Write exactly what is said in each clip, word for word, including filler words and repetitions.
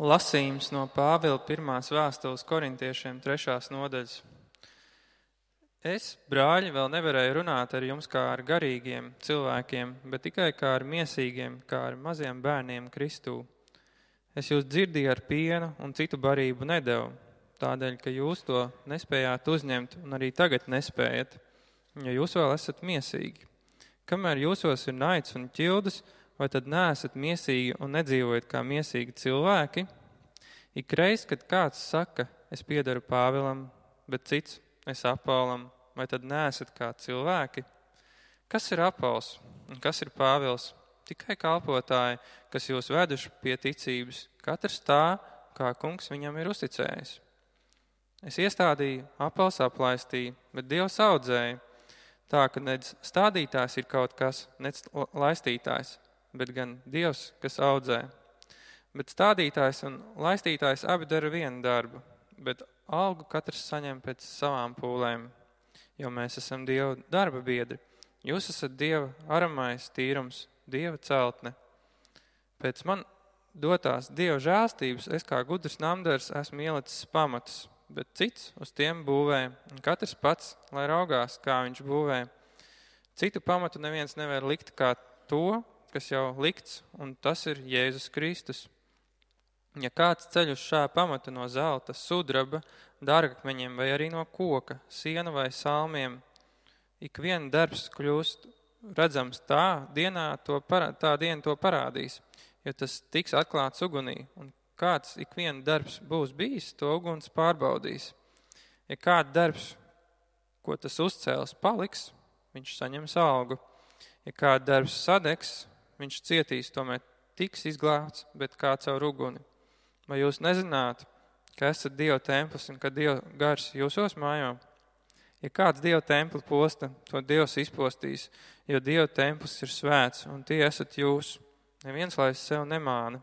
Lasījums no Pāvila pirmās vēstules korintiešiem trešās nodaļas. Es, brāļi, vēl nevarēju runāt ar jums kā ar garīgiem cilvēkiem, bet tikai kā ar miesīgiem, kā ar maziem bērniem Kristū. Es jūs dzirdīju ar pienu un citu barību nedevu, tādēļ, ka jūs to nespējāt uzņemt un arī tagad nespējat, jo jūs vēl esat miesīgi. Kamēr jūsos ir naids un ķildas, vai tad neesat miesīgi un nedzīvojat kā miesīgi cilvēki? Ikreiz, kad kāds saka, es piedaru Pāvilam, bet cits, es Apollam, vai tad neesat kā cilvēki? Kas ir Apols un kas ir Pāvils? Tikai kalpotāji, kas jūs veduši pie ticības, katrs tā, kā kungs viņam ir uzticējis. Es iestādīju, Apols aplaistīja, bet Dievs audzēja, tā, ka nec stādītājs ir kaut kas, nec laistītājs, bet gan Dievs, kas audzē. Bet stādītājs un laistītājs abi dara vienu darbu, bet algu katrs saņem pēc savām pūlēm, jo mēs esam Dieva darba biedri. Jūs esat Dieva aramais tīrums, Dieva celtne. Pēc man dotās Dieva žēlstības es kā gudrs namdars esmu ielicis pamatus, bet cits uz tiem būvē, un katrs pats, lai raugās, kā viņš būvē. Citu pamatu neviens nevar likt kā to, kas jau likts, un tas ir Jēzus Kristus. Ja kāds ceļ uz šā pamata no zelta, sudraba, dārgakmeņiem vai arī no koka, siena vai salmiem, ik vien darbs kļūst redzams tā, dienā to parā, tā diena to parādīs, jo tas tiks atklāts ugunī, un kāds ik vien darbs būs bijis, to uguns pārbaudīs. Ja kāds darbs, ko tas uzcēls, paliks, viņš saņems algu. Ja kāds darbs sadegs, viņš cietīs, tomēr tiks izglābts, bet kā caur uguni. Vai jūs nezināt, ka esat Dieva templis un ka Dieva gars jūsos mājā? Ja kāds Dieva templi posta, to Dievs izpostīs, jo Dieva templis ir svēts, un tie esat jūs. Neviens lai sev nemāna,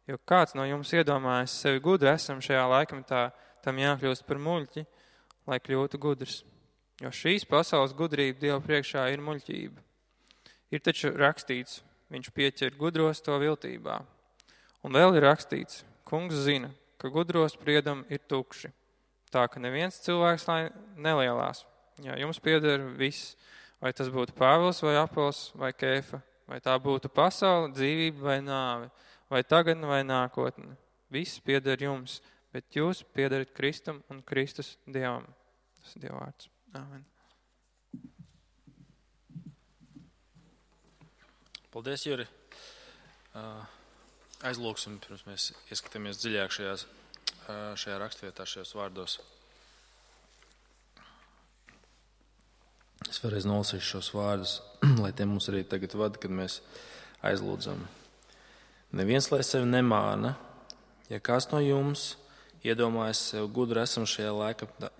jo kāds no jums iedomājas sevi gudri esam šajā laikmetā, tam jākļūst par muļķi, lai kļūtu gudrs. Jo šīs pasaules gudrība Dieva priekšā ir muļķība. Ir taču rakstīts, viņš pieķer gudros to viltībā. Un vēl ir rakstīts, kungs zina, ka gudro spriedumi ir tukši, tā ka neviens cilvēks lai nelielās. Jā, jums pieder viss, vai tas būtu Pāvils vai Apols vai Kēfa, vai tā būtu pasaule, dzīvība vai nāve, vai tagadne vai nākotne. Viss pieder jums, bet jūs piederat Kristum un Kristus Dievam. Tas ir Dieva vārds. Āmen. Paldies, Juri. Aizlūksim, pirms mēs ieskatāmies dziļāk šajās, šajā rakstvietā, šajos vārdos. Es vēlreiz nolasīšu šos vārdus, lai tie mums arī tagad vada, kad mēs aizlūdzam. Neviens lai sevi nemāna, ja kāds no jums iedomājas sev gudru esam šajā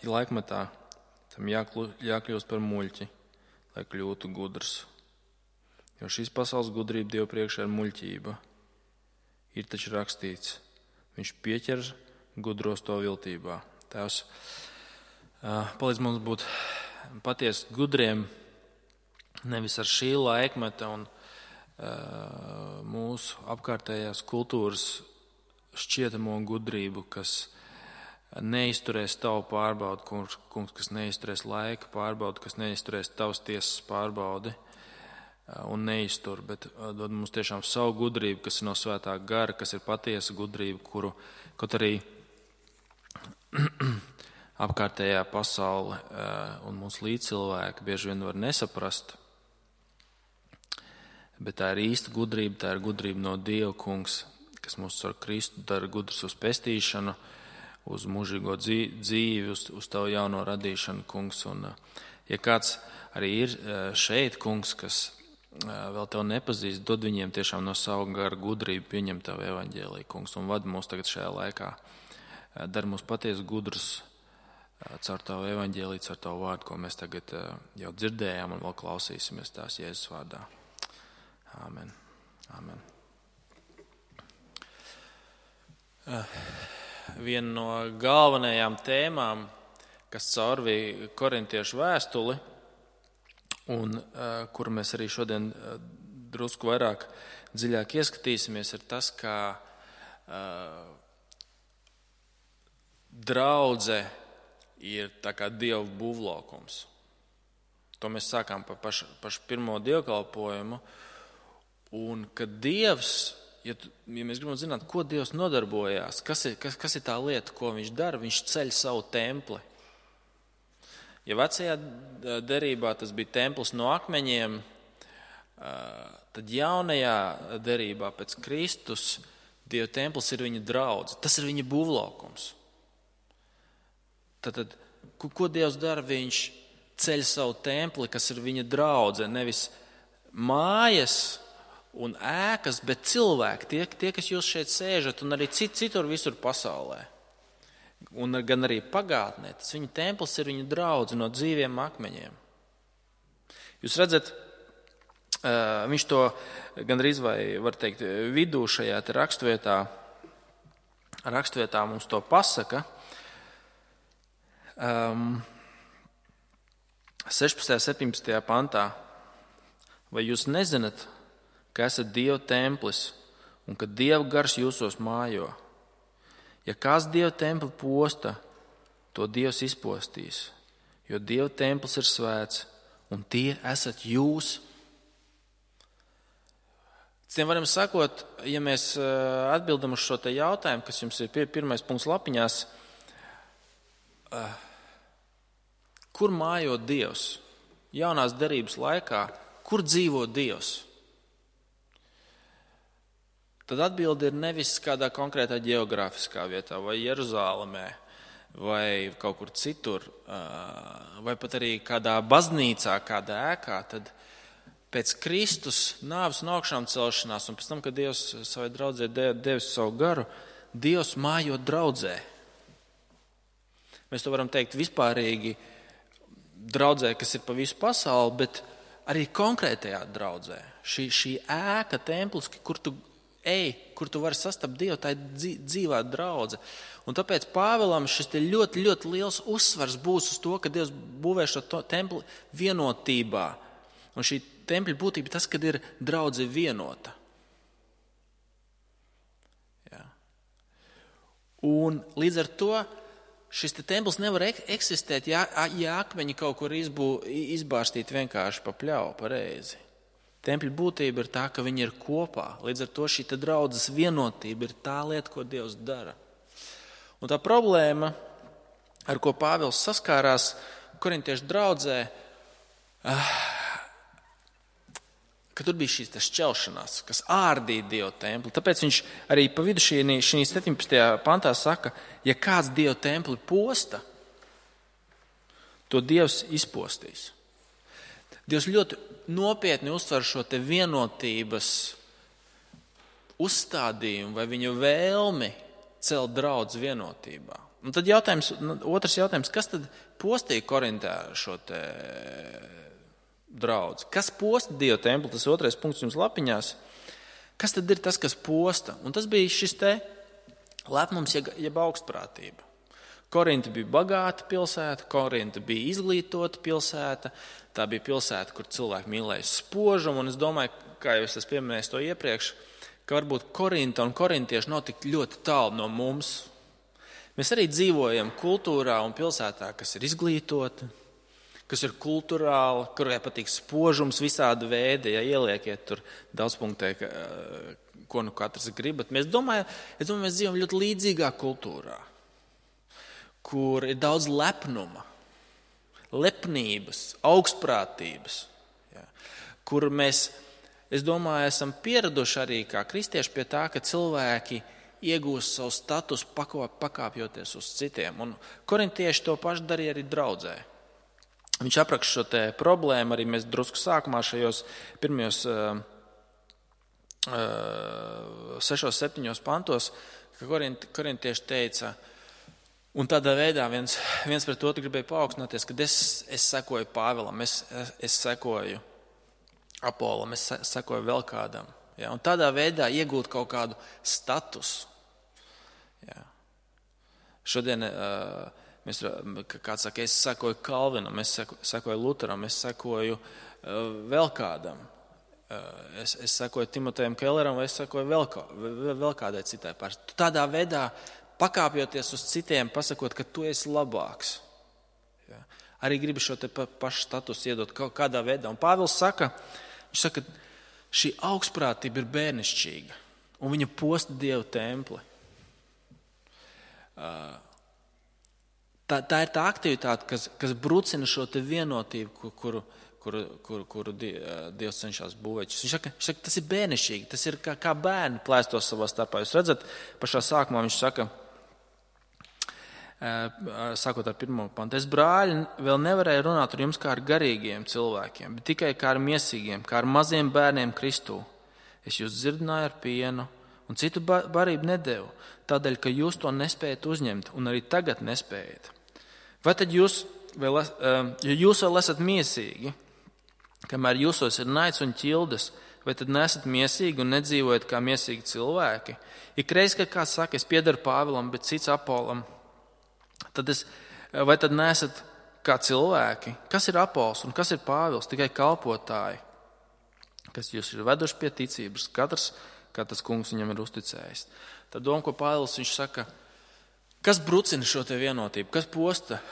laikmetā, tam jākļūst par muļķi, lai kļūtu gudrs. Jo šīs pasaules gudrība Dieva priekšā ir muļķība. Ir taču rakstīts, viņš pieķer gudros to viltībā. Tēvs, palīdz mums būt patiesi gudriem, nevis ar šī laikmeta un mūsu apkārtējās kultūras šķietamo gudrību, kas neizturēs tavu pārbaudu, kungs, kas neizturēs laika pārbaudu, kas neizturēs tavas tiesas pārbaudi un neiztur, bet dod mums tiešām savu gudrību, kas ir no svētā gara, kas ir patiesa gudrība, kuru, kaut arī apkārtējā pasaule un mūsu līdzcilvēki bieži vien var nesaprast, bet tā ir īsta gudrība, tā ir gudrība no Dieva, kungs, kas mūs ar Kristu dara gudrus uz pestīšanu, uz mūžīgo dzīvi, uz, uz tavu jauno radīšanu, kungs. Un, ja kāds arī ir šeit, kungs, kas vēl tev nepazīst, dod viņiem tiešām no savu garu gudrību pieņemt tavu evaņģēliju, kungs, un vadi mūs tagad šajā laikā. Dar mūs patiesi gudrus caur tavu evaņģēliju, caur tavu vārdu, ko mēs tagad jau dzirdējām un vēl klausīsimies tās Jēzus vārdā. Āmen. Āmen. Viena no galvenajām tēmām, kas caurvīja korintiešu vēstuli, un uh, kuru mēs arī šodien uh, drusku vairāk dziļāk ieskatīsimies, ir tas, kā uh, draudze ir tā kā Dieva būvlaukums. To mēs sākām par pašu, pašu pirmo dievkalpojumu. Un kad Dievs, ja, tu, ja mēs gribam zināt, ko Dievs nodarbojās, kas ir, kas, kas ir tā lieta, ko viņš dara, viņš ceļ savu templi. Ja vecajā derībā tas bija templis no akmeņiem, tad jaunajā derībā pēc Kristus Dieva templis ir viņa draudze. Tas ir viņa būvlaukums. Tad, ko, ko Dievs dara? Viņš ceļ savu templi, kas ir viņa draudze, nevis mājas un ēkas, bet cilvēki, tie, tie kas jūs šeit sēžat un arī cit, citur visur pasaulē. Un gan arī pagātnē. Tas viņa templis ir viņa draudze no dzīviem akmeņiem. Jūs redzat, viņš to gandrīz vai, var teikt, vidū šajā te rakstvietā, rakstvietā mums to pasaka. Um, sešpadsmitajā, septiņpadsmitajā pantā. Vai jūs nezināt, ka esat Dieva templis un ka Dieva gars jūsos mājo? Ja kāds Dieva templi posta, to Dievs izpostīs, jo Dieva templis ir svēts un tie esat jūs. Tiem varam sakot, ja mēs atbildam uz šo te jautājumu, kas jums ir pirmais punkts lapiņās, kur mājo Dievs? Jaunās derības laikā, kur dzīvo Dievs? Tad atbilde ir nevis kādā konkrētā geogrāfiskā vietā, vai Jeruzālemē, vai kaut kur citur, vai pat arī kādā baznīcā, kādā ēkā, tad pēc Kristus nāves un augšām celšanās, un pēc tam, kad Dievs savai draudzē devis savu garu, Dievs mājo draudzē. Mēs to varam teikt vispārīgi draudzē, kas ir pa visu pasauli, bet arī konkrētajā draudzē. Šī, šī ēka, templis, kur tu ej, kur tu vari sastapt Dievu, tā ir dzīvā draudze. Un tāpēc Pāvilam šis te ļoti, ļoti liels uzsvars būs uz to, ka Dievs būvē šo templi vienotībā. Un šī tempļa būtība tas, kad ir draudze vienota. Jā. Un līdz ar to šis te templis nevar eksistēt, ja, ja akmeņi kaut kur izbū, izbārstīti vienkārši pa pļauju, pa reizi. Tempļa būtība ir tā, ka viņi ir kopā. Līdz ar to šī te draudzes vienotība ir tā lieta, ko Dievs dara. Un tā problēma, ar ko Pāvils saskārās korintiešu draudzē, ka tur bija šīs šķelšanās, kas ārdīja Dieva templi. Tāpēc viņš arī pa vidu šī, šī septiņpadsmitajā pantā saka, ja kāds Dieva templi posta, to Dievs izpostīs. Dievs ļoti nopietni uztver šo te vienotības uzstādījumu vai viņa vēlmi celt draudzi vienotībā. Un tad jautājums, otrs jautājums, kas tad postīja Korintā šo te draudzi? Kas posta Dieva templi? Tas otrais punkts jums lapiņās. Kas tad ir tas, kas posta? Un tas bija šis te lepnums, jeb augstprātība. Korinta bija bagāta pilsēta, Korinta bija izglītota pilsēta, tā bija pilsēta, kur cilvēki mīlēja spožumu, un es domāju, kā jau es esmu pieminējis to iepriekš, ka varbūt Korinta un korintieši nav tik ļoti tālu no mums. Mēs arī dzīvojam kultūrā un pilsētā, kas ir izglītota, kas ir kulturāla, kurai patīk spožums visāda veida, ja ieliekiet tur daudzpunktē, ko nu katrs gribat. Mēs domājam, es domāju, mēs dzīvojam ļoti līdzīgā kultūrā, kur ir daudz lepnuma, lepnības, augstprātības, ja, kur mēs, es domāju, esam pieraduši arī kā kristieši pie tā, ka cilvēki iegūst savu statusu pakāpjoties uz citiem. Un korintieši to pašu darīja arī draudzē. Viņš apraksta šo te problēmu, arī mēs drusku sākumā šajos pirmajos uh, uh, sešos, septiņos pantos, ka korint, korintieši teica, un tādā veidā viens, viens pret otru gribēja paaugstināties, kad es, es sekoju Pāvilam, es, es, es sekoju Apolam, es sekoju vēl kādam. Ja? Un tādā veidā iegūt kaut kādu statusu. Ja? Šodien uh, mēs, kāds saka, es sekoju Kalvinam, es sekoju Luteram, es sekoju uh, vēl kādam. Uh, es, es sekoju Timotejam Kelleram vai es sekoju vēl, kā, vēl, vēl kādai citai pārstāvjai. Tādā veidā pakāpjoties uz citiem, pasakot, ka tu esi labāks. Ja. Arī gribi šo te pa, pašu statusu iedot kaut kādā veidā. Un Pāvils saka, viņš saka, šī augstprātība ir bērnišķīga, un viņa posta Dievu templi. Tā, tā ir tā aktivitāte, kas, kas brucina šo te vienotību, kuru, kuru, kuru, kuru Dievs cenšas būvēt. Viņš saka, viņš saka, tas ir bērnišķīgi, tas ir kā, kā bērni plēstos savā starpā. Jūs redzat, pašā sākumā viņš saka, sākot ar pirmo pantu, es brāļi vēl nevarēju runāt ar jums kā ar garīgiem cilvēkiem, bet tikai kā ar miesīgiem, kā ar maziem bērniem Kristū. Es jūs dzirdināju ar pienu un citu barību nedevu, tādēļ, ka jūs to nespējat uzņemt un arī tagad nespējat. Vai tad jūs vēl, ja jūs vēl esat miesīgi, kamēr jūsos ir naids un ķildes, vai tad nesat miesīgi un nedzīvojat kā miesīgi cilvēki? Ikreiz, kad kāds saka, es piederu Pāvilam, bet cits Apolam, tad es, vai tad nesat kā cilvēki? Kas ir Apols un kas ir Pāvils? Tikai kalpotāji, kas jūs ir veduši pie ticības, katrs, kā tas kungs viņam ir uzticējis. Tad doma, ko Pāvils viņš saka, kas brucina šo te vienotību, kas posta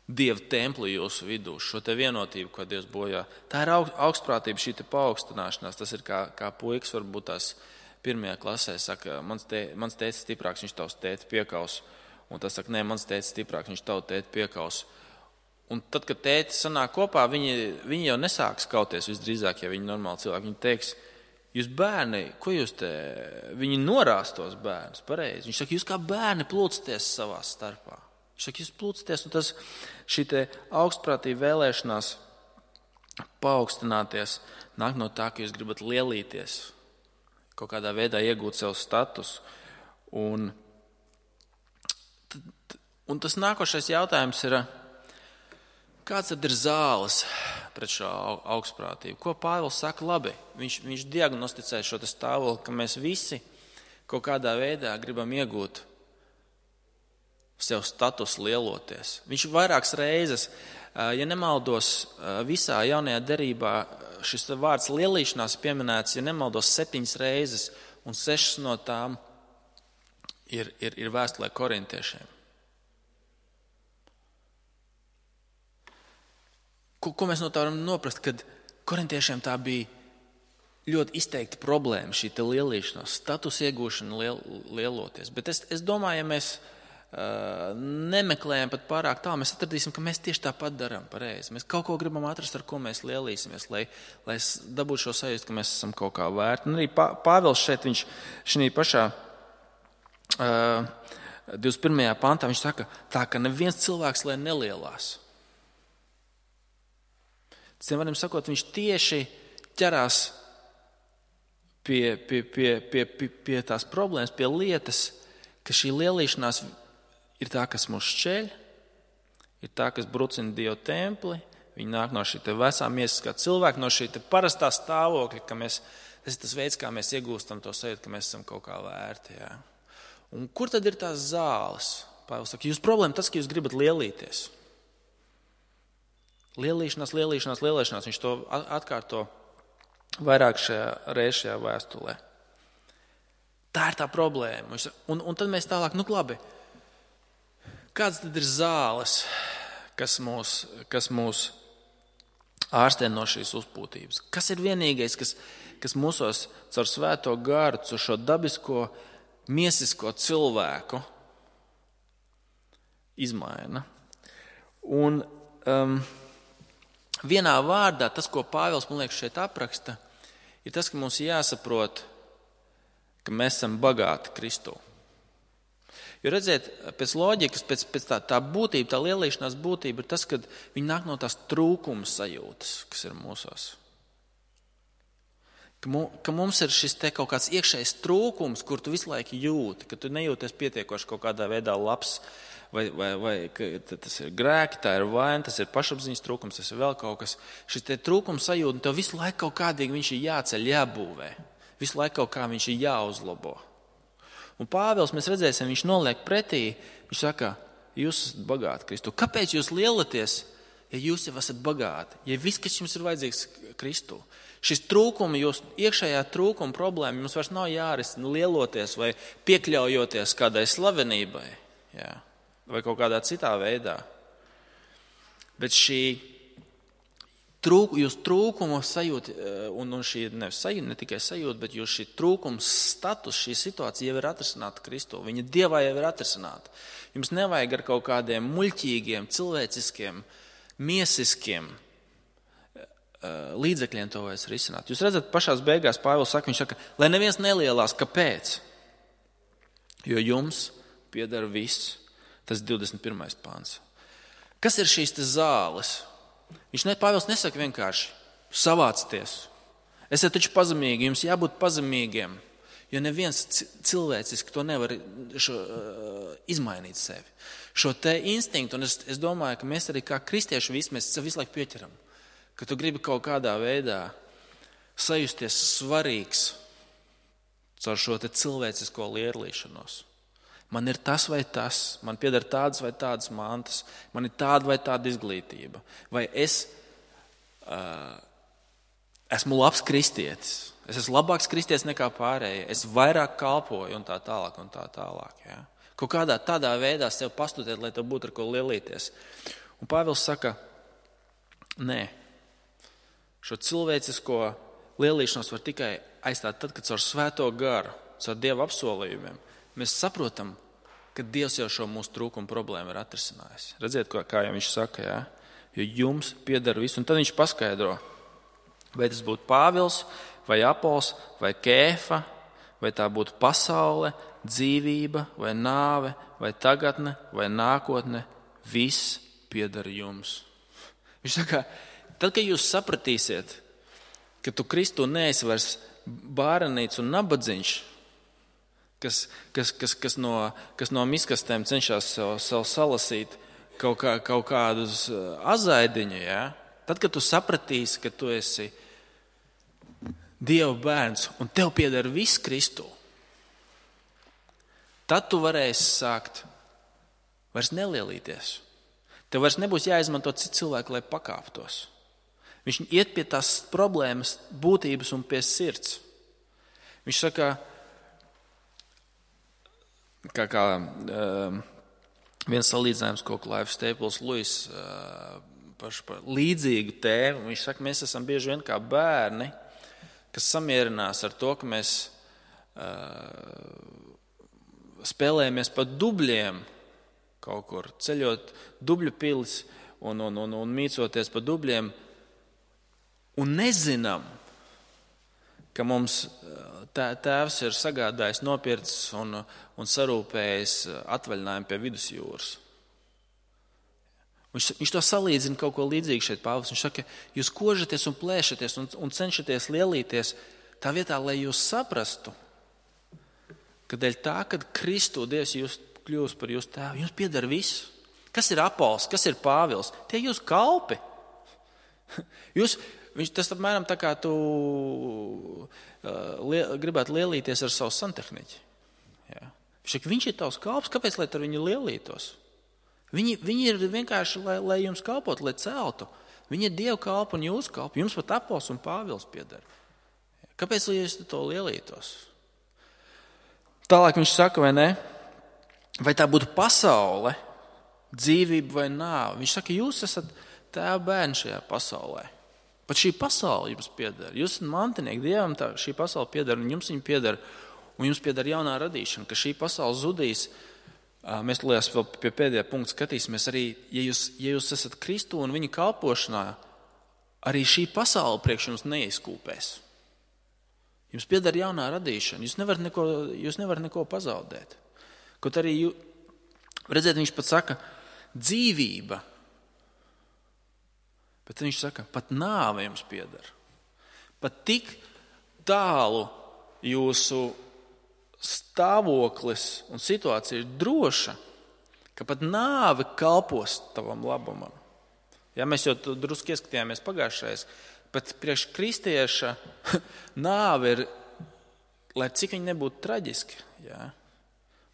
Dieva templi jūsu vidū, šo te vienotību, ko Dievs bojā. Tā ir augstprātība, šī te paaugstināšanās, tas ir kā, kā puikas varbūt tās pirmajā klasē, saka, mans, te, mans tētis stiprāks, viņš tavs tēti piekaus. Un tas saka, nē, mans tētis stiprāks, viņš tavu tēti piekaus. Un tad, kad tēti sanāk kopā, viņi, viņi jau nesāks kauties visdrīzāk, ja viņi normāli cilvēki. Viņi teiks, jūs bērni, ko jūs te, viņi norās tos bērnus, pareizi. Viņš saka, jūs kā bērni plūcaties savā starpā. Viņš saka, jūs plūcaties, un tas šī te augstprātība vēlēšanās paaugstināties nāk no tā, ka jūs gribat lielīties, kaut kādā veidā iegūt sev status. Un Un tas nākošais jautājums ir, kāds tad ir zāles pret šo augstprātību? Ko Pāvils saka labi? Viņš, viņš diagnosticē šo stāvokli, ka mēs visi kaut kādā veidā gribam iegūt sev status lieloties. Viņš vairākas reizes, ja nemaldos, visā jaunajā derībā šis vārds lielīšanās pieminēts, ja nemaldos, septiņas reizes, un sešas no tām ir, ir, ir vēstulē korintiešiem. Ko, ko mēs no tā varam noprast, kad korintiešiem tā bija ļoti izteikta problēma, šī te lielīšanās, status iegūšana liel, lieloties. Bet es, es domāju, ja mēs uh, nemeklējam pat pārāk tālu, mēs atradīsim, ka mēs tieši tāpat darām pareizi. Mēs kaut ko gribam atrast, ar ko mēs lielīsimies, lai, lai dabūtu šo sajūtu, ka mēs esam kaut kā vērti. Un arī Pāvils šeit, viņš šī pašā uh, divdesmit pirmajā pantā, viņš saka, tā, ka neviens cilvēks, lai nelielās. Citiem varam sakot, viņš tieši ķerās pie, pie, pie, pie, pie, pie tās problēmas, pie lietas, ka šī lielīšanās ir tā, kas mūs šķeļ, ir tā, kas brucina Dieva templi, viņi nāk no šī te vecā miesiskā cilvēka, no šī te parastā stāvokļa, ka mēs, tas ir tas veids, kā mēs iegūstam to sajūtu, ka mēs esam kaut kā vērti. Jā. Un kur tad ir tās zāles? Pāvils saka, jūs problēma tas, ka jūs gribat lielīties. Lielīšanās, lielīšanās, lielīšanās. Viņš to atkārto vairāk šajā reiz šajā vēstulē. Tā ir tā problēma. Un, un tad mēs tālāk, nu labi, kāds tad ir zāles, kas mūs, kas mūs ārstē no šīs uzpūtības? Kas ir vienīgais, kas, kas mūsos caur svēto garu, caur šo dabisko, miesisko cilvēku izmaina? Un um, vienā vārdā tas, ko Pāvils, man liekas, šeit apraksta, ir tas, ka mums jāsaprot, ka mēs esam bagāti Kristū. Jo redziet, pēc loģikas, pēc, pēc tā, tā būtība, tā lielīšanās būtība ir tas, ka viņi nāk no tās trūkuma sajūtas, kas ir mūsos. Ka, mu, ka mums ir šis te kaut kāds iekšējs trūkums, kur tu visu laiku jūti, ka tu nejūties pietiekoši kaut kādā veidā labs, vai, vai, vai tas ir grēki, tā ir vaina, tas ir pašapziņas trūkums, tas ir vēl kaut kas. Šis te trūkums sajūta, tev visu laiku kaut kādīgi viņš ir jāceļ, jābūvē. Visu laiku kaut kā viņš ir jāuzlabo. Un Pāvils, mēs redzēsim, viņš noliek pretī, viņš saka, jūs esat bagāti Kristu. Kāpēc jūs lielaties? ja jūs jau esat bagāti, ja viss, kas jums ir vajadzīgs Kristū, šis trūkuma, jūs iekšējā trūkuma problēma, jums vairs nav jārisina lieloties vai piekļaujoties kādai slavenībai, jā, vai kaut kādā citā veidā. Bet šī trūk, jūs trūkumu sajūta, un, un šī ne, sajūta, ne tikai sajūta, bet jūs šī trūkums status, šī situācija jau ir atrisināta Kristū. Viņa Dievā jau ir atrisināta. Jums nevajag ar kaut kādiem muļķīgiem, cilvēciskiem, miesiskiem līdzekļiem to vairs risināt. Jūs redzat, pašās beigās Pāvils saka, viņš saka, lai neviens nelielās, kāpēc? Jo jums pieder viss. Tas divdesmit pirmais pāns. Kas ir šīs te zāles? Viņš ne, Pāvils nesaka vienkārši savācieties. Esiet taču pazemīgi, jums jābūt pazemīgiem, jo neviens cilvēciski to nevar šo, uh, izmainīt sevi. Šo te instinktu, un es, es domāju, ka mēs arī kā kristieši visi, mēs visu laiku pieķeram, ka tu gribi kaut kādā veidā sajusties svarīgs caur šo te cilvēcisko lielīšanos. Man ir tas vai tas, man pieder tādas vai tādas mantas, man ir tāda vai tāda izglītība. Vai es uh, esmu labs kristietis, es esmu labāks kristietis nekā pārējie, es vairāk kalpoju un tā tālāk un tā tālāk. Ja? Kaut kādā tādā veidā sev pastudēt, lai tev būtu ar ko lielīties. Un Pāvils saka, nē, šo cilvēcisko lielīšanos var tikai aizstāt tad, kad caur svēto garu, caur Dieva apsolījumiem, mēs saprotam, ka Dievs jau šo mūsu trūkumu problēmu ir atrisinājis. Redziet, kā jau viņš saka, jā? Jo jums pieder visu. Un tad viņš paskaidro, vai tas būtu Pāvils, vai Apols, vai Kēfa, vai tā būtu pasaule, dzīvība, vai nāve, vai tagadne, vai nākotne, viss pieder jums. Viņš saka, tad, kad jūs sapratīsiet, ka tu Kristu neesi vairs bārenīts un nabadziņš, Kas, kas, kas, kas, no, kas no miskastēm cenšas sev, sev salasīt kaut, kā, kaut kādus azaidiņu, ja? Tad, kad tu sapratīsi, ka tu esi Dieva bērns un tev pieder viss Kristū, tad tu varēsi sākt vairs nelielīties. Tev vairs nebūs jāizmanto citu cilvēku, lai pakāptos. Viņš iet pie tās problēmas būtības un pie sirds. Viņš saka, Kā, kā uh, viens salīdzinājums, ko Clive Staples Lewis uh, par, par līdzīgu tēmu. Viņš saka, mēs esam bieži vien kā bērni, kas samierinās ar to, ka mēs uh, spēlējamies pa dubļiem kaut kur, ceļot dubļu pilis un, un, un, un mīcoties pa dubļiem un nezinām, ka mums tēvs ir sagādājis, nopircis un, un sarūpējis atvaļinājumu pie vidusjūras. Viņš, viņš to salīdzina kaut ko līdzīgu šeit, Pāvils. Viņš saka, jūs kožaties un plēšaties un, un cenšaties lielīties tā vietā, lai jūs saprastu, ka dēļ tā, kad Kristu Dievs jūs kļūst par jūsu tēvu, jums pieder viss. Kas ir Apols, kas ir Pāvils? Tie jūs kalpi. Jūs Viņš, tas apmēram tā kā tu uh, lie, gribētu lielīties ar savu santehniķi. Ja? Viņš, viņš ir tavs kalps, kāpēc lai ar viņu lielītos? Viņi, viņi ir vienkārši, lai, lai jums kalpot, lai celtu. Viņi ir Dieva kalpi un jūsu kalpi. Jums pat Apols un Pāvils pieder. Kāpēc lai jūs to lielītos? Tālāk viņš saka, vai ne? Vai tā būtu pasaule, dzīvība vai nāve? Viņš saka, jūs esat tēva bērni šajā pasaulē. Pat šī pasaule jums pieder. Jūs esat mantinieki, Dievam tā, šī pasaule pieder, un jums viņa pieder, un jums pieder jaunā radīšana, ka šī pasaule zudīs. Mēs liekas vēl pie pēdējā punkta skatīsimies arī, ja jūs, ja jūs esat Kristu un viņa kalpošanā, arī šī pasaule priekš jums neizkūpēs. Jums pieder jaunā radīšana, jūs nevarat neko, jūs nevarat neko pazaudēt. Kaut arī, jū, redziet, viņš pat saka, dzīvība. Bet viņš saka, pat nāve jums pieder. Pat tik tālu jūsu stāvoklis un situācija ir droša, ka pat nāve kalpos tavam labumam. Ja mēs jau drusku ieskatījāmies pagājušais, bet priekš kristieša nāve ir, lai cik viņa nebūtu traģiski, ja?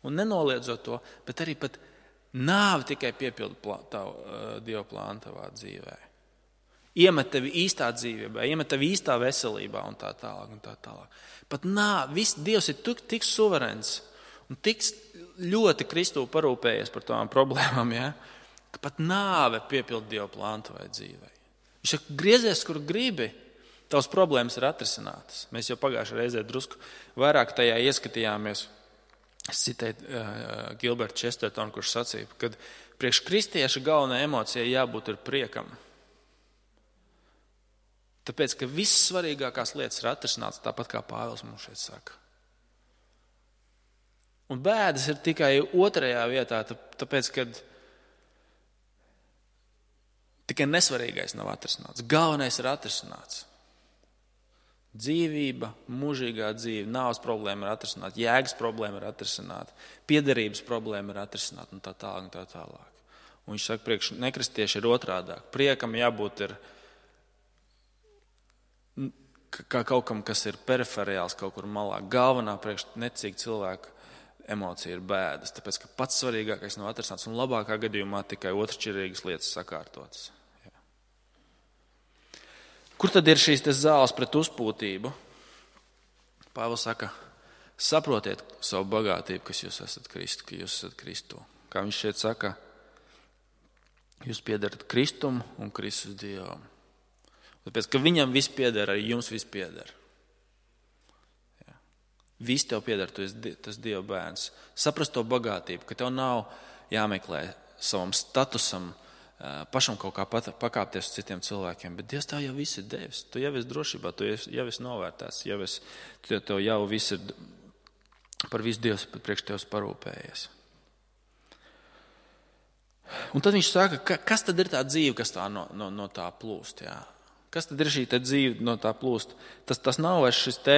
Un nenoliedzot to, bet arī pat Nāve tikai piepilda plā, tavu, uh, Dieva plānu tavā dzīvē. Iemet tevi īstā dzīvībā, iemet tevi īstā veselībā un tā tālāk. Un tā tālāk. Pat nāve, viss Dievs ir tik, tik suverēns un tik ļoti Kristū parūpējies par tām problēmām, ja? Ka pat nāve piepilda Dieva plānu tavai dzīvē. Viņš saka, griezies, kur gribi, tavas problēmas ir atrisinātas. Mēs jau pagājušajā reizē drusku vairāk tajā ieskatījāmies. Es citēju uh, Gilbertu Chestertonu, kurš sacīja, ka priekš kristieša galvenā emocija jābūt ir priekam. Tāpēc, ka viss svarīgākās lietas ir atrisinātas, tāpat kā Pāvils mums šeit saka. Un bēdas ir tikai otrajā vietā, tāpēc, ka tikai nesvarīgais nav atrisināts. Galvenais ir atrisināts. Dzīvība, mūžīgā dzīve, nāves problēma ir atrisināta, jēgas problēma ir atrisināta, piederības problēma ir atrisināta un tā tālāk un tā tālāk. Un viņš saka, priekš nekristieši ir otrādāk. Priekam jābūt ir kā kaut kam, kas ir periferiāls kaut kur malā. Galvenā priekš necīga cilvēka emocija ir bēdas, tāpēc, ka pats svarīgākais nav atrisināts un labākā gadījumā tikai otršķirīgas lietas sakārtotas. Kur tad ir šīs zāles pret uzpūtību? Pāvils saka, saprotiet savu bagātību, kas jūs esat Kristu, ka jūs esat Kristu. Kā viņš šeit saka, jūs piedarat Kristumu un Kristus Dievam. Tāpēc, ka viņam viss pieder, arī jums viss pieder. Jā. Viss tev pieder, tu esi tas Dieva bērns. Saprast to bagātību, ka tev nav jāmeklē savam statusam, pašam kaut kā pakāpties uz citiem cilvēkiem, bet Dievs tev jau viss ir devis. Tu jau esi drošībā, tu jau esi novērtēts, jau esi, tev jau viss ir par visu Dievs priekš tevis parūpējies. Un tad viņš saka, ka, kas tad ir tā dzīve, kas tā no, no, no tā plūst? Jā? Kas tad ir šī te dzīve no tā plūst? Tas, tas nav vairs šis te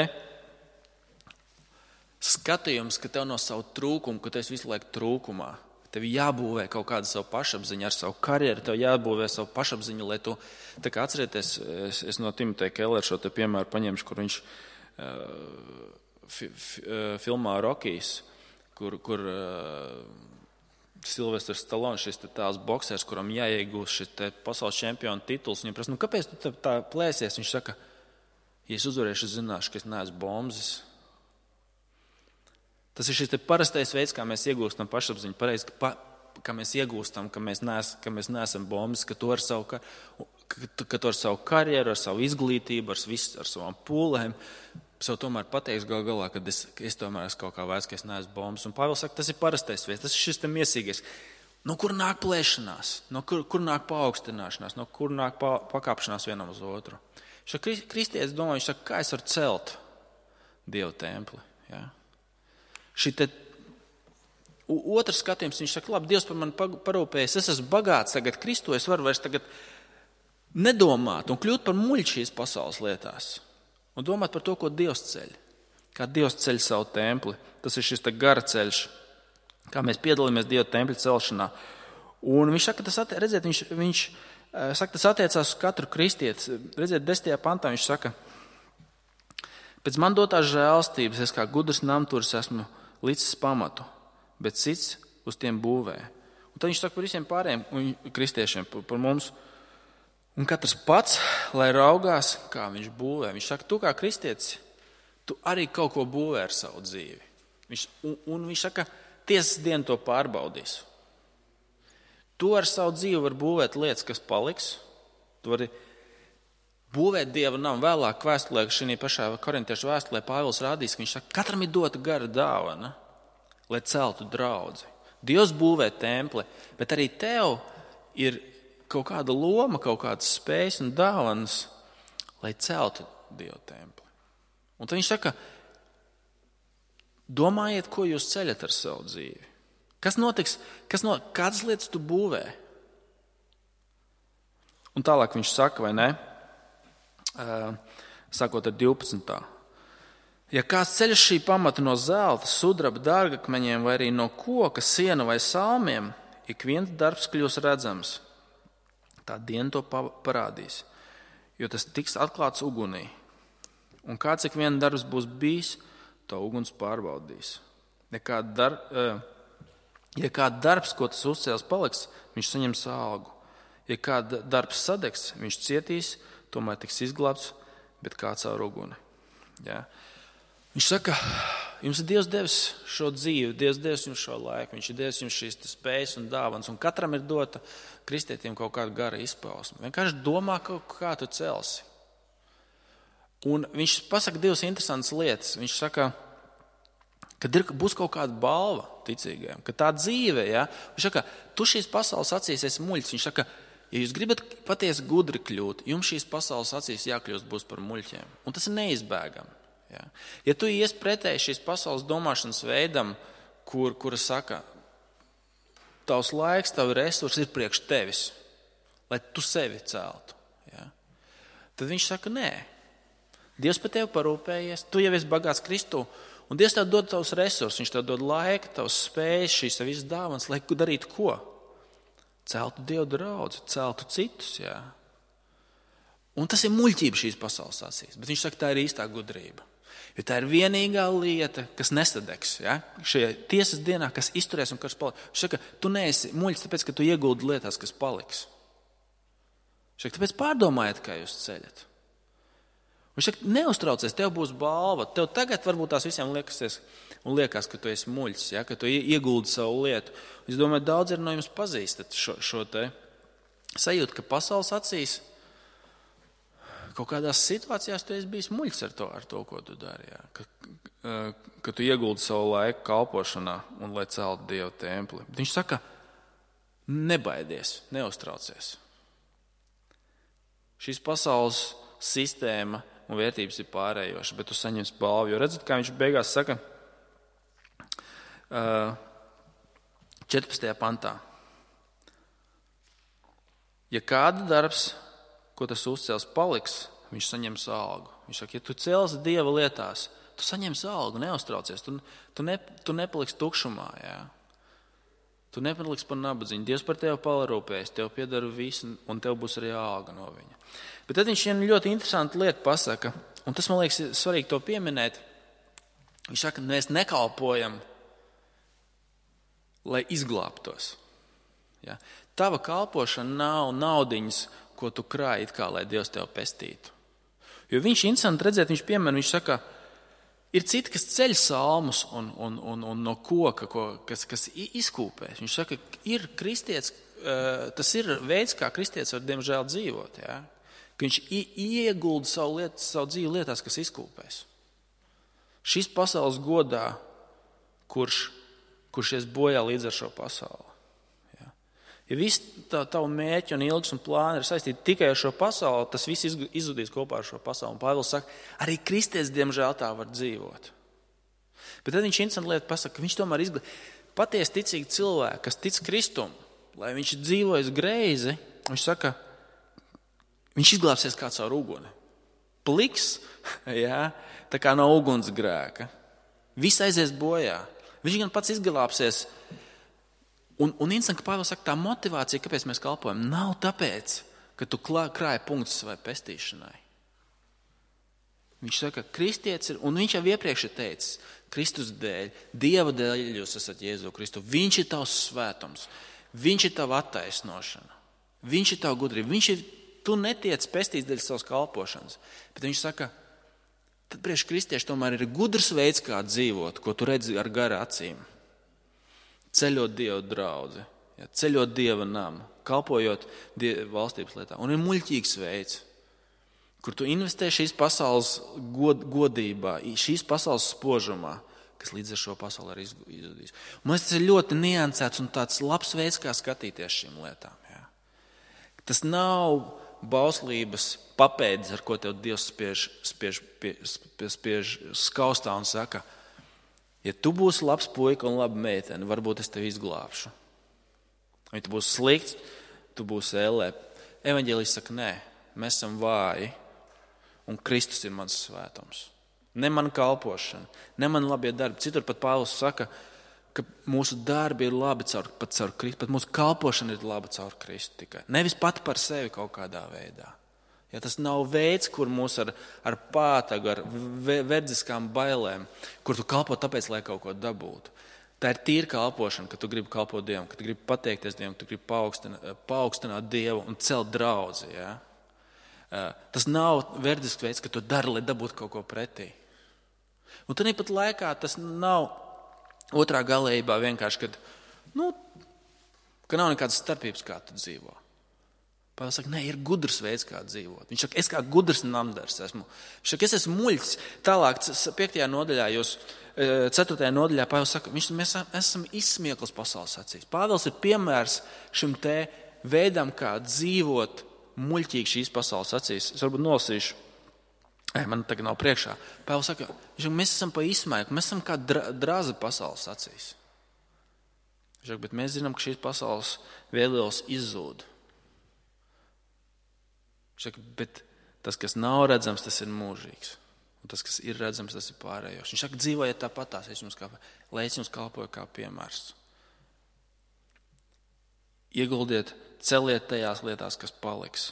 skatījums, ka tev no savu trūkumu, ka tu esi visu laiku trūkumā. Tev jābūvē kaut kāda savu pašapziņu ar savu karjeru, tev jābūvē savu pašapziņu, lai tu, tā kā atcerieties, es, es no Timoteja Kellera šo te piemēru paņemšu, kur viņš uh, fi, fi, uh, filmā Rokijs, kur, kur uh, Silvestrs Stallone, šis te tās boksers, kuram jāiegūst šis te pasaules čempiona tituls, viņam prasa, nu kāpēc tu tā, tā plēsies? Viņš saka, ja es uzvarēšu, es zināšu, ka es neesmu bombzis. Tas ir šis te parastais veids, kā mēs iegūstam pašapziņu, pareizi, ka, pa, ka mēs iegūstam, ka mēs, nees, ka mēs neesam bombas, ka to ar savu, ka, ka to ar savu karjeru, ar savu izglītību, ar, visu, ar savām pūlēm, sev tomēr pateiks gal galā, ka es, ka es tomēr esmu kaut kā vērts, ka es neesmu bombas. Un Pāvils saka, tas ir parastais veids, tas ir šis te miesīgais. No kur nāk plēšanās, no kur, kur nāk paaugstināšanās, no kur nāk pa, pakāpšanās vienam uz otru. Šo kristietis domā, viņš saka, kā es varu celt Dieva templi, jā? Šī te otrs skatījums, viņš saka, labi, Dievs par mani parūpējies, es esmu bagāts tagad Kristu, es varu vairs tagad nedomāt un kļūt par muļķi šīs pasaules lietās un domāt par to, ko Dievs ceļ, kā Dievs ceļ savu templi. Tas ir šis te gara ceļš, kā mēs piedalāmies Dieva tempļa celšanā. Un viņš saka, tas, attie, redziet, viņš, viņš saka, tas attiecās uz katru kristieti. Redziet, desmitajā pantā viņš saka, pēc man dotās žēlstības, es kā gudrs namturis esmu licis pamatu, bet cits uz tiem būvē. Un tad viņš saka par visiem pārējiem kristiešiem, par, par mums. Un katrs pats, lai raugās, kā viņš būvē. Viņš saka, tu kā kristietis, tu arī kaut ko būvē ar savu dzīvi. Viņš, un, un viņš saka, tiesas dienu to pārbaudīs. Tu ar savu dzīvi var būvēt lietas, kas paliks. Tu vari būvēt Dieva namu. Vēlāk vēstulē, šī pašā korintiešu vēstulē Pāvils rādīs, ka viņš saka, katram ir dota gara dāvana, lai celtu draudzi. Dievs būvē templi, bet arī tev ir kaut kāda loma, kaut kādas spējas un dāvanas, lai celtu Dieva templi. Un tad viņš saka, domājiet, ko jūs ceļat ar savu dzīvi. Kas notiks, kas no, kādas lietas tu būvē? Un tālāk viņš saka, vai ne? Sākot ar divpadsmitā. Ja kāds ceļš šī pamata no zelta, sudraba, dārgakmeņiem vai arī no koka, siena vai salmiem, ik viens darbs kļūs redzams. Tā diena to parādīs, jo tas tiks atklāts ugunī. Un kāds ik viens darbs būs bijis, to uguns pārbaudīs. Ja kāda dar, Ja kāda darbs, ko tas uzcēls, paliks, viņš saņems algu. Ja kāda darbs sadegs, viņš cietīs, tomēr tiks izglābts, bet kā caur uguni. Ja? Viņš saka, jums ir Dievs devis šo dzīvi, Dievs devis jums šo laiku, viņš ir devis jums šīs spējas un dāvanas, un katram ir dota kristietim kaut kāda gara izpausme. Vienkārši domā, kā tu celsi. Un viņš pasaka divas interesantas lietas. Viņš saka, kad ir, būs kaut kāda balva ticīgajiem, ka tā dzīve, ja, viņš saka, tu šīs pasaules acīs esi muļķis. Viņš saka, ja jūs gribat patiesi gudri kļūt, jums šīs pasaules acīs jākļūst būs par muļķiem. Un tas ir neizbēgami. Ja, ja tu ies pretēji šīs pasaules domāšanas veidam, kur, kura saka, tavs laiks, tavi resursi ir priekš tevis, lai tu sevi celtu. Ja, tad viņš saka, nē. Dievs par tevi parūpējies, tu jau esi bagāts Kristū, un Dievs tev dod tavus resursus, viņš tev dod laiku, tavus spējas, šīs visas dāvanas, lai darītu ko? Celtu Dievu draudzi, celtu citus, jā. Un tas ir muļķība šīs pasaules acīs, bet viņš saka, tā ir īstā gudrība. Jo tā ir vienīgā lieta, kas nesadegs, ja? Šajā tiesas dienā, kas izturēs un kas paliks. Viņš saka, tu neesi muļķis, tāpēc, ka tu ieguldi lietās, kas paliks. Viņš saka, tāpēc pārdomājiet, kā jūs ceļat. Viņš saka, neuztraucies, tev būs balva. Tev tagad varbūt tās visiem liekas, un liekas, ka tu esi muļķis, ja? Ka tu ieguldi savu lietu. Es domāju, daudz ir no jums pazīstat šo, šo te sajūtu, ka pasaules acīs kaut kādās situācijās tu esi bijis muļķis ar to, ar to ko tu dari. Ja? Ka, ka tu ieguldi savu laiku kalpošanā un lai celtu Dieva templi. Viņš saka, nebaidies, neuztraucies. Šīs pasaules sistēma un vērtības ir pārējoša, bet tu saņemsi balvu. Jo redzat, kā viņš beigās saka četrpadsmitajā pantā. Ja kāda darbs, ko tas uzcēls, paliks, viņš saņems algu. Viņš saka, ja tu celsi Dieva lietās, tu saņemsi algu, neuztraucies. Tu, tu, ne, tu nepaliksi tukšumā. Jā. Tu nepaliksi par nabadzību. Dievs par tevi parūpēs, tev piedara visu, un tev būs arī alga no viņa. Bet tad viņš vienu ļoti interesantu lietu pasaka, un tas, man liekas, ir svarīgi to pieminēt. Viņš saka, mēs nekalpojam, lai izglābtos. Ja? Tava kalpošana nav naudiņas, ko tu krāji, it kā, lai Dievs tev pestītu. Jo viņš interesanti redzēt, viņš piemēram, viņš saka, ir citi, kas ceļ salmus un, un, un, un no koka, ko, kas, kas izkūpēs. Viņš saka, ir kristietis, tas ir veids, kā kristietis var, diemžēl, dzīvot. Ja? Ka viņš iegulda savu, lietu, savu dzīvi lietās, kas izkūpēs. Šis pasaules godā, kurš, kurš ies bojā līdz ar šo pasauli. Ja, ja viss tā, tavu mērķi un ilgs un plāni ir saistīti tikai ar šo pasauli, tas viss izzudīs kopā ar šo pasauli. Un Pāvils saka, arī kristietis, diemžēl, tā var dzīvot. Bet tad viņš interesanti lietu pasaka, ka viņš tomēr izglāb. Patiesi ticīgi cilvēki, kas tic Kristum, lai viņš dzīvojas greizi, viņš saka, viņš izglābsies kā caur uguni. Pliks, jā, tā kā no ugunsgrēka. Viss aizies bojā. Viņš gan pats izglābsies. Un, un interesanti, ka Pāvils saka, tā motivācija, kāpēc mēs kalpojam, nav tāpēc, ka tu krāji punktus savai pestīšanai. Viņš saka, kristietis ir, un viņš jau iepriekš ir teicis, Kristus dēļ, Dieva dēļ jūs esat Jēzu Kristu. Viņš ir tavs svētums. Viņš ir tava attaisnošana. Viņš ir tava gudrība. Viņš ir Tu netiec pestīts dēļ savas kalpošanas. Bet viņš saka, tad priekš kristieši tomēr ir gudrs veids, kā dzīvot, ko tu redzi ar gara acīm. Ceļot Dieva draudzi, ja, ceļot Dieva namu, kalpojot Dieva valstības lietā. Un ir muļķīgs veids, kur tu investē šīs pasaules god, godībā, šīs pasaules spožumā, kas līdz ar šo pasauli arī izzudīs. Man liekas, tas ir ļoti niansēts un tāds labs veids, kā skatīties šīm lietām. Ja. Tas nav bauslības papēdis, ar ko tev Dievs spiež, spiež, spiež, spiež skaustā un saka, ja tu būsi labs puika un laba meitene, varbūt es tevi izglābšu. Ja tu būsi slikts, tu būsi ellē. Evaņģēlijs saka, nē, mēs esam vāji un Kristus ir mans svētums. Ne mana kalpošana, ne mana labie darbi. Citur pat Pāvils saka, ka mūsu darbi ir labi caur, pat caur Kristu, pat mūsu kalpošana ir laba caur Kristu tikai. Nevis pati par sevi kaut kādā veidā. Ja tas nav veids, kur mūs ar, ar pātagu, ar verdziskām bailēm, kur tu kalpo tāpēc, lai kaut ko dabūtu. Tā ir tīra kalpošana, ka tu gribi kalpot Dievam, ka tu gribi pateikties Dievam, ka tu gribi paaugstināt, paaugstināt Dievu un celt draudzi. Ja? Tas nav verdisks veids, ka tu dari, lai dabūtu kaut ko pretī. Un tad pat laikā tas nav otrā galējībā vienkārši, kad, nu, ka nav nekādas starpības, kā tu dzīvo. Pāvils saka, nē, ir gudrs veids, kā dzīvot. Viņš saka, es kā gudrs namdars esmu. Viņš saka, es esmu muļķis. Tālāk, piektajā nodaļā, jūs, ceturtajā nodaļā, Pāvils saka, viņš, mēs esam izsmieklis pasaules acīs. Pāvils ir piemērs šim te veidam, kā dzīvot muļķīgi šīs pasaules acīs. Es varbūt nolasīšu. Ei, man tagad nav priekšā. Pāvils saka, viņš saka, mēs esam pa izsmēku, mēs esam kā drazi pasaules acīs. Viņš saka, bet mēs zinām, ka šīs pasaules vēlēls izzūd. Saka, bet tas, kas nav redzams, tas ir mūžīgs. Un tas, kas ir redzams, tas ir pārējos. Viņš saka, dzīvojiet tāpatās, lai es jums kalpoju kā piemērs. Ieguldiet, celiet tajās lietās, kas paliks.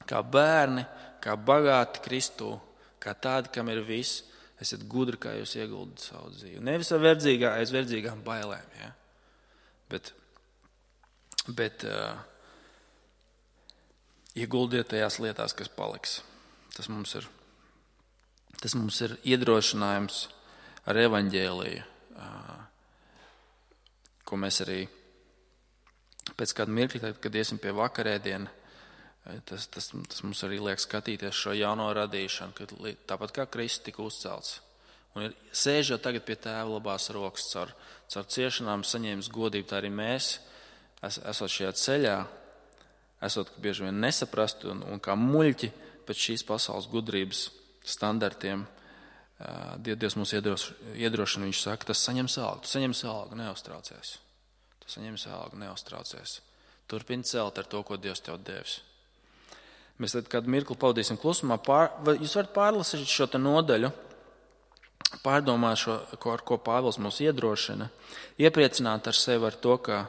Kā bērni, kā bagāti Kristū, kā tādi, kam ir viss, esiet gudri, kā jūs ieguldat savu dzīvi. Nevis ar verdzīgā, aiz verdzīgām bailēm, ja? bet, bet uh, ieguldiet tajās lietās, kas paliks. Tas mums ir, tas mums ir iedrošinājums ar evaņģēliju, ko mēs arī pēc kāda mirkļa, kad iesim pie vakarēdiena, tas, tas, tas mums arī liek skatīties šo jauno radīšanu, kad tāpat kā Kristus tika uzcelts. Un ir sēžot tagad pie Tēva labās rokas, caur, caur ciešanām saņēmis godību, tā arī mēs, es, esot šajā ceļā, esot bieži vien nesaprastu un, un kā muļķi pēc šīs pasaules gudrības standartiem, Dievs mūs iedrošina, viņš saka, tas saņems algu, tu saņems algu, neuztraucies. Tu saņems algu, neuztraucies. Turpini celt ar to, ko Dievs tev devis. Mēs tad kādu mirkli pavadīsim klusumā. Pār, jūs varat pārlasīt šo te nodaļu, pārdomāt šo, ar ko Pāvils mūs iedrošina, iepriecināt ar sevi ar to, ka,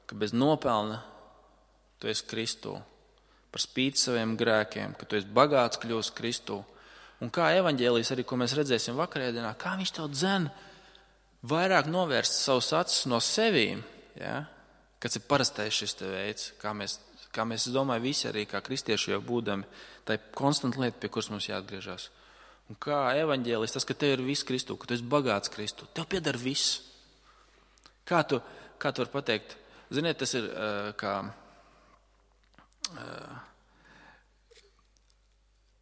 ka bez nopelna tu esi Kristū, par spīti saviem grēkiem, ka tu esi bagāts kļūst Kristū. Un kā evaņģēlijs arī, ko mēs redzēsim vakarēdienā, kā viņš tev dzen vairāk novērst savus acis no sevīm, ja? Kas ir parastais šis te veids, kā mēs, kā mēs, es domāju, visi arī kā kristieši jau būdami, tā ir konstanta lieta, pie kuras mums jāatgriežas. Un kā evaņģēlijs, tas, ka tev ir viss Kristū, ka tu esi bagāts Kristū, tev pieder viss. Kā tu, kā tu vari pateikt? Ziniet, tas ir uh, kā...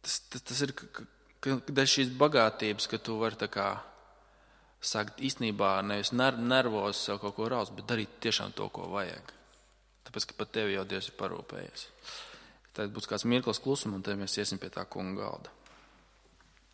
Tas, tas, tas ir dēļ šīs bagātības, ka tu vari tā kā sākt īstenībā nevis nervos sev kaut ko raust, bet darīt tiešām to, ko vajag. Tāpēc, ka pat tevi jau Dievs ir parūpējies. Tad būs kāds mirklis klusuma, un tad mēs iesim pie tā kunga galda.